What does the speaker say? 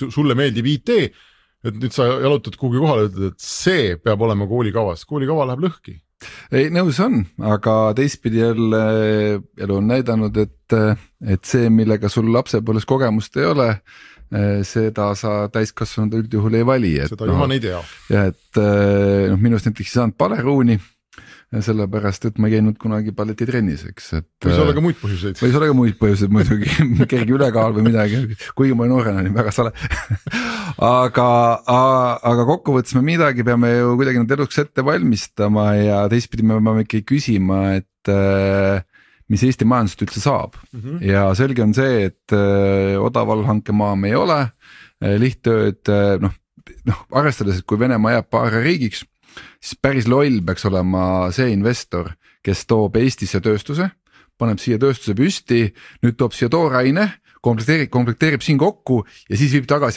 sulle meeldib IT, et nüüd sa jalutad kuhugi kohale ja ütled, et see peab olema koolikavas. Koolikava läheb lõhki. Ei, nõus on, aga teistpidi jälle elu on näidanud, et see, millega sul lapsepõlves kogemust ei ole, seda sa täiskasvanud üldjuhul ei vali. Seda jumal ei tea. Ja et minust näiteks ei saanud paleruuni, sellepärast, et ma ei käinud kunagi balletitrennis, eks. Võis olla ka muid põhjuseid. Võis olla ka muid põhjuseid muidugi, kergi ülekaal või midagi, kuigi ma noorena olin väga sale. aga kokkuvõttes me midagi peame ju kuidagi nad eluks ette valmistama ja teistpidi me peame ikkagi küsima, et mis Eesti majandust üldse saab. Ja selge on see, et odaval hankemaa me ei ole, lihttööd, arvestades, et kui Venemaa jääb paare riigiks, siis päris loll peaks olema see investor, kes toob Eestisse tööstuse, paneb siia tööstuse püsti, nüüd toob siia tooraine, komplekteerib siin kokku ja siis viib tagasi